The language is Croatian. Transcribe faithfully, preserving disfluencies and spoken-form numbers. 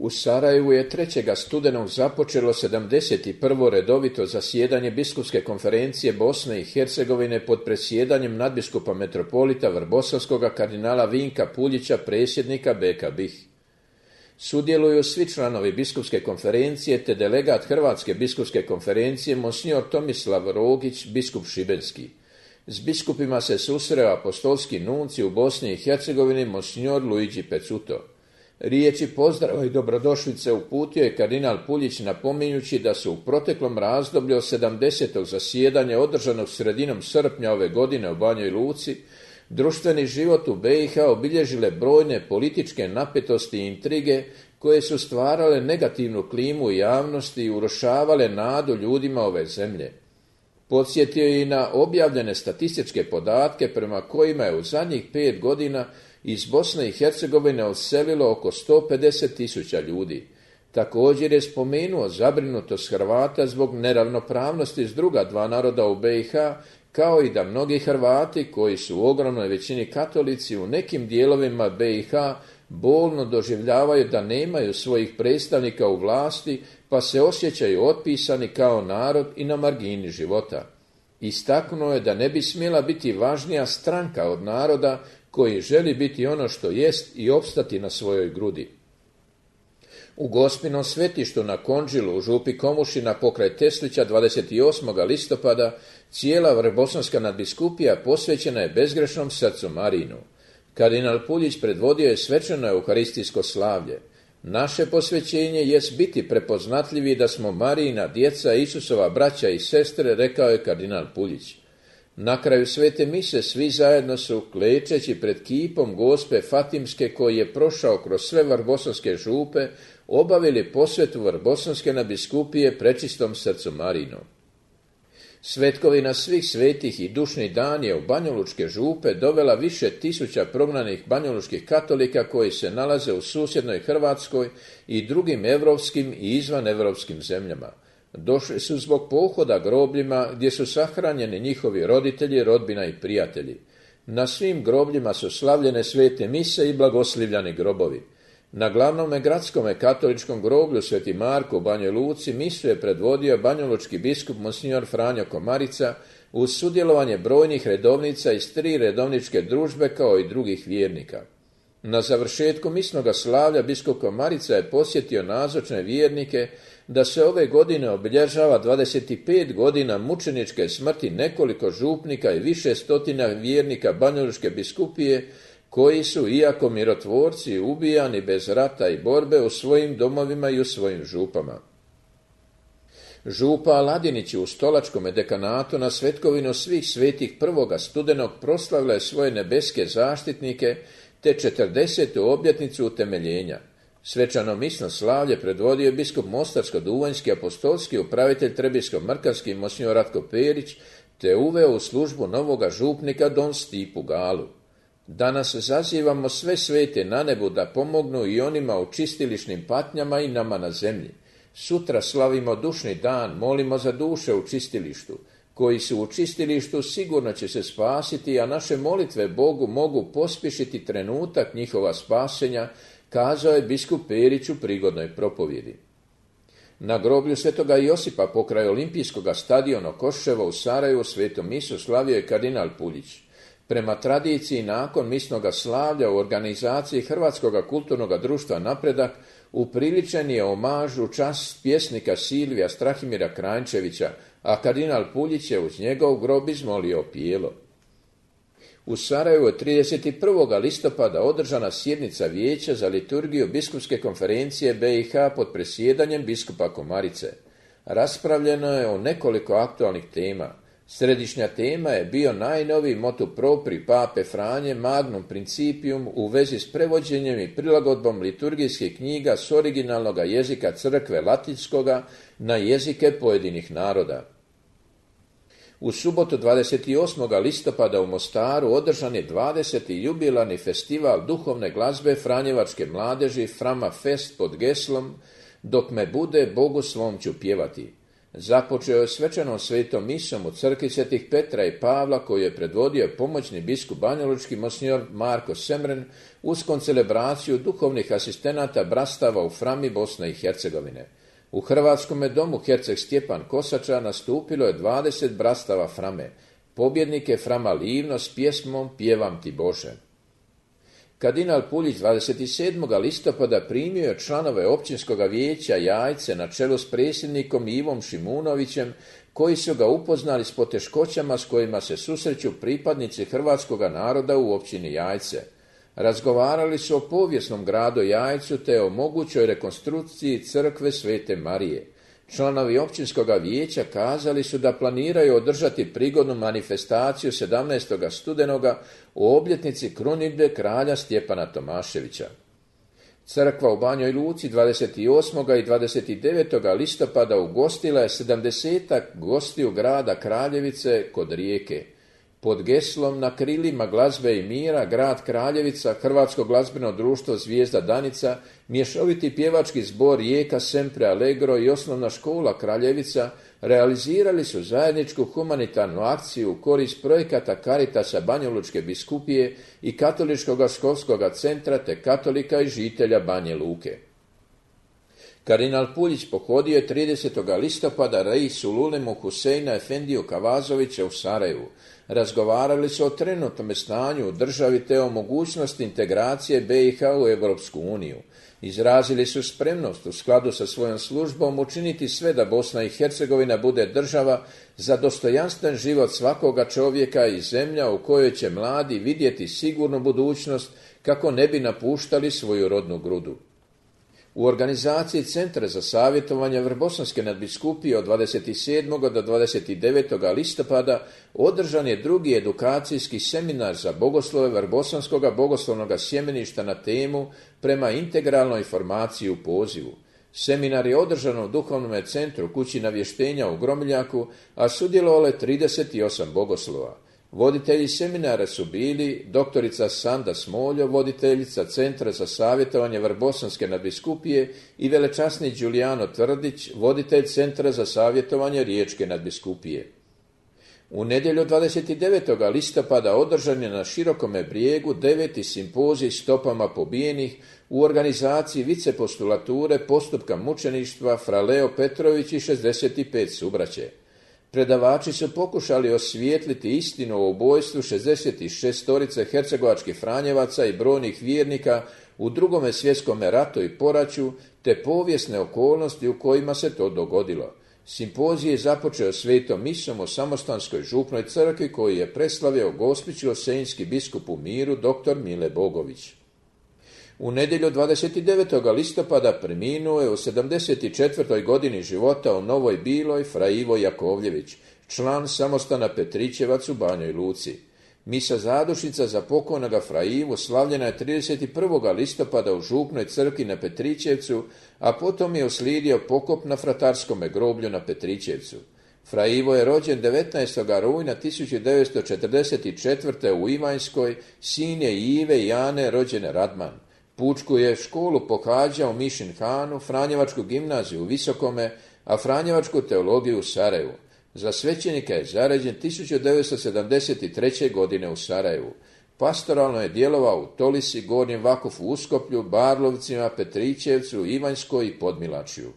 U Sarajevu je trećeg studenog započelo sedamdeset prvo redovito zasjedanje Biskupske konferencije Bosne i Hercegovine pod predsjedanjem nadbiskupa metropolita Vrbosanskoga kardinala Vinka Puljića, predsjednika B K B I H. Sudjeluju svi članovi Biskupske konferencije te delegat Hrvatske biskupske konferencije monsignor Tomislav Rogić, biskup šibenski. S biskupima se susreo apostolski nunci u Bosni i Hercegovini monsignor Luigi Pecuto. Riječi pozdrava i dobrodošlice uputio je kardinal Puljić napominjući da su u proteklom razdoblju od sedamdesetog zasjedanja održanog sredinom srpnja ove godine u Banjoj Luci društveni život u B i H obilježile brojne političke napetosti i intrige koje su stvarale negativnu klimu u javnosti i urušavale nadu ljudima ove zemlje. Podsjetio je i na objavljene statističke podatke prema kojima je u zadnjih pet godina iz Bosne i Hercegovine odselilo oko sto pedeset tisuća ljudi. Također je spomenuo zabrinutost Hrvata zbog neravnopravnosti s druga dva naroda u B i H, kao i da mnogi Hrvati, koji su u ogromnoj većini katolici, u nekim dijelovima B i H bolno doživljavaju da nemaju svojih predstavnika u vlasti, pa se osjećaju otpisani kao narod i na margini života. Istaknuo je da ne bi smjela biti važnija stranka od naroda koji želi biti ono što jest i opstati na svojoj grudi. U Gospinom svetištu na Konđilu u župi Komušina pokraj Teslića dvadeset osmog listopada cijela Vrbosanska nadbiskupija posvećena je bezgrešnom srcu Marinu. Kardinal Puljić predvodio je svečano euharistijsko slavlje. Naše posvećenje jest biti prepoznatljivi da smo Marijina djeca, Isusova braća i sestre, rekao je kardinal Puljić. Na kraju svete mise svi zajedno su, klečeći pred kipom Gospe Fatimske koji je prošao kroz sve vrbosanske župe, obavili posvetu Vrbosanske nadbiskupije prečistom srcu Marinom. Svetkovina svih svetih i dušni dan je u banjolučke župe dovela više tisuća prognanih banjolučkih katolika koji se nalaze u susjednoj Hrvatskoj i drugim evropskim i izvanevropskim zemljama. Došli su zbog pohoda grobljima gdje su sahranjeni njihovi roditelji, rodbina i prijatelji. Na svim grobljima su slavljene svete mise i blagoslivljani grobovi. Na glavnome gradskome katoličkom groblju Sveti Marko u Banjoj Luci misu je predvodio banjolučki biskup monsignor Franjo Komarica uz sudjelovanje brojnih redovnica iz tri redovničke družbe kao i drugih vjernika. Na završetku misnoga slavlja biskup Komarica je posjetio nazočne vjernike da se ove godine obilježava dvadeset pet godina mučeničke smrti nekoliko župnika i više stotina vjernika banjalučke biskupije koji su, iako mirotvorci, ubijani bez rata i borbe u svojim domovima i u svojim župama. Župa Aladinić u Stolačkom dekanatu na svetkovinu svih svetih prvoga studenog proslavila je svoje nebeske zaštitnike te četrdesetu obljetnicu utemeljenja. Svečano misno slavlje predvodio je biskup Mostarsko-duvanjski apostolski upravitelj Trebinsko-mrkanski monsignor Ratko Perić te uveo u službu novoga župnika don Stipu Galu. Danas zazivamo sve svete na nebu da pomognu i onima u čistilišnim patnjama i nama na zemlji. Sutra slavimo dušni dan, molimo za duše u čistilištu. Koji su u čistilištu sigurno će se spasiti, a naše molitve Bogu mogu pospješiti trenutak njihova spasenja, kazao je biskup Perić u prigodnoj propovjedi. Na groblju svetoga Josipa pokraj olimpijskog stadiona Koševa u Sarajevu svetu misu slavio je kardinal Puljić. Prema tradiciji, nakon misnoga slavlja u organizaciji Hrvatskog kulturnog društva Napredak upriličen je omaž u čast pjesnika Silvija Strahimira Kranjčevića, a kardinal Puljić je uz njegov grob izmolio opijelo. U Sarajevu je trideset prvog listopada održana sjednica Vijeća za liturgiju Biskupske konferencije B i H pod presjedanjem biskupa Komarice. Raspravljeno je o nekoliko aktualnih tema. Središnja tema je bio najnoviji motu propri pape Franje Magnum Principium u vezi s prevođenjem i prilagodbom liturgijskih knjiga s originalnog jezika crkve latinskoga na jezike pojedinih naroda. U subotu dvadeset osmog listopada u Mostaru održan je dvadeseti jubilarni festival duhovne glazbe Franjevačke mladeži Frama Fest pod geslom Dok me bude, Bogu svom ću pjevati. Započeo je svečanom svetom misom u crkvi Svetih Petra i Pavla koju je predvodio pomoćni biskup banjalučki monsignor Marko Semren uz koncelebraciju duhovnih asistenata brastava u Frami Bosne i Hercegovine. U Hrvatskome domu herceg Stjepan Kosača nastupilo je dvadeset brastava Frame. Pobjednik je Frama Livno s pjesmom Pjevam ti Bože. Kardinal Puljić dvadeset sedmog listopada primio je članove općinskog vijeća Jajce na čelu s predsjednikom Ivom Šimunovićem, koji su ga upoznali s poteškoćama s kojima se susreću pripadnici hrvatskog naroda u općini Jajce. Razgovarali su o povijesnom gradu Jajcu te o mogućoj rekonstrukciji crkve Svete Marije. Članovi općinskog vijeća kazali su da planiraju održati prigodnu manifestaciju sedamnaestog studenoga u obljetnici krunidbe kralja Stjepana Tomaševića. Crkva u Banjoj Luci dvadeset osmog i dvadeset devetog listopada ugostila je sedamdesetak gostiju grada Kraljevice kod Rijeke. Pod geslom Na krilima glazbe i mira grad Kraljevica, Hrvatsko glazbeno društvo Zvijezda Danica, mješoviti pjevački zbor Rijeka Sempre Allegro i osnovna škola Kraljevica realizirali su zajedničku humanitarnu akciju u korist projekata Caritasa Banjalučke biskupije i Katoličkog školskog centra te katolika i žitelja Banje Luke. Kardinal Puljić pohodio je tridesetog listopada reis u Ulemu Huseina Efendiju Kavazovića u Sarajevu. Razgovarali su o trenutnom stanju u državi te o mogućnosti integracije be i ha u Europsku uniju. Izrazili su spremnost u skladu sa svojom službom učiniti sve da Bosna i Hercegovina bude država za dostojanstven život svakoga čovjeka i zemlja u kojoj će mladi vidjeti sigurnu budućnost kako ne bi napuštali svoju rodnu grudu. U organizaciji Centra za savjetovanje Vrbosanske nadbiskupije od dvadeset sedmog do dvadeset devetog listopada održan je drugi edukacijski seminar za bogoslove Vrbosanskog bogoslovnog sjemeništa na temu Prema integralnoj formaciji u pozivu. Seminar je održan u Duhovnom centru Kući navještenja u Gromiljaku, a sudjelovalo je trideset osam bogoslova. Voditelji seminara su bili doktorica Sanda Smoljo, voditeljica Centra za savjetovanje Vrbosanske nadbiskupije i velečasni Đulijano Tvrdić, voditelj Centra za savjetovanje Riječke nadbiskupije. U nedjelju dvadeset devetog listopada održan je na Širokome Brijegu deveti simpozij Stopama pobijenih u organizaciji vicepostulature postupka mučeništva Fra Leo Petrović i šezdeset pet subraće. Predavači su pokušali osvijetliti istinu o ubojstvu šezdeset šestorice hercegovačkih franjevaca i brojnih vjernika u drugome svjetskom ratu i poraću, te povijesne okolnosti u kojima se to dogodilo. Simpozij je započeo svetom misom u Samostanskoj župnoj crkvi koji je preslavio gospićko-senjski biskup u miru dr. Mile Bogović. U nedjelju dvadeset devetog listopada preminuo je u sedamdeset četvrtoj godini života u Novoj Biloj Fra Ivo Jakovljević, član samostana Petrićevac u Banjoj Luci. Misa zadušnica za pokojnoga Fra Ivu slavljena je trideset prvog listopada u župnoj crkvi na Petrićevcu, a potom je uslijedio pokop na fratarskome groblju na Petrićevcu. Fra Ivo je rođen devetnaestog rujna tisuću devetsto četrdeset četvrte u Ivanjskoj, sin je Ive i Jane rođene Radman. Pučku je školu pohađao u Mišin Hanu, Franjevačku gimnaziju u Visokome, a Franjevačku teologiju u Sarajevu. Za svećenika je zaređen tisuću devetsto sedamdeset treće. godine u Sarajevu. Pastoralno je djelovao u Tolisi, Gornjem Vakufu, Uskoplju, Barlovcima, Petrićevcu, Ivanjskoj i Podmilačju.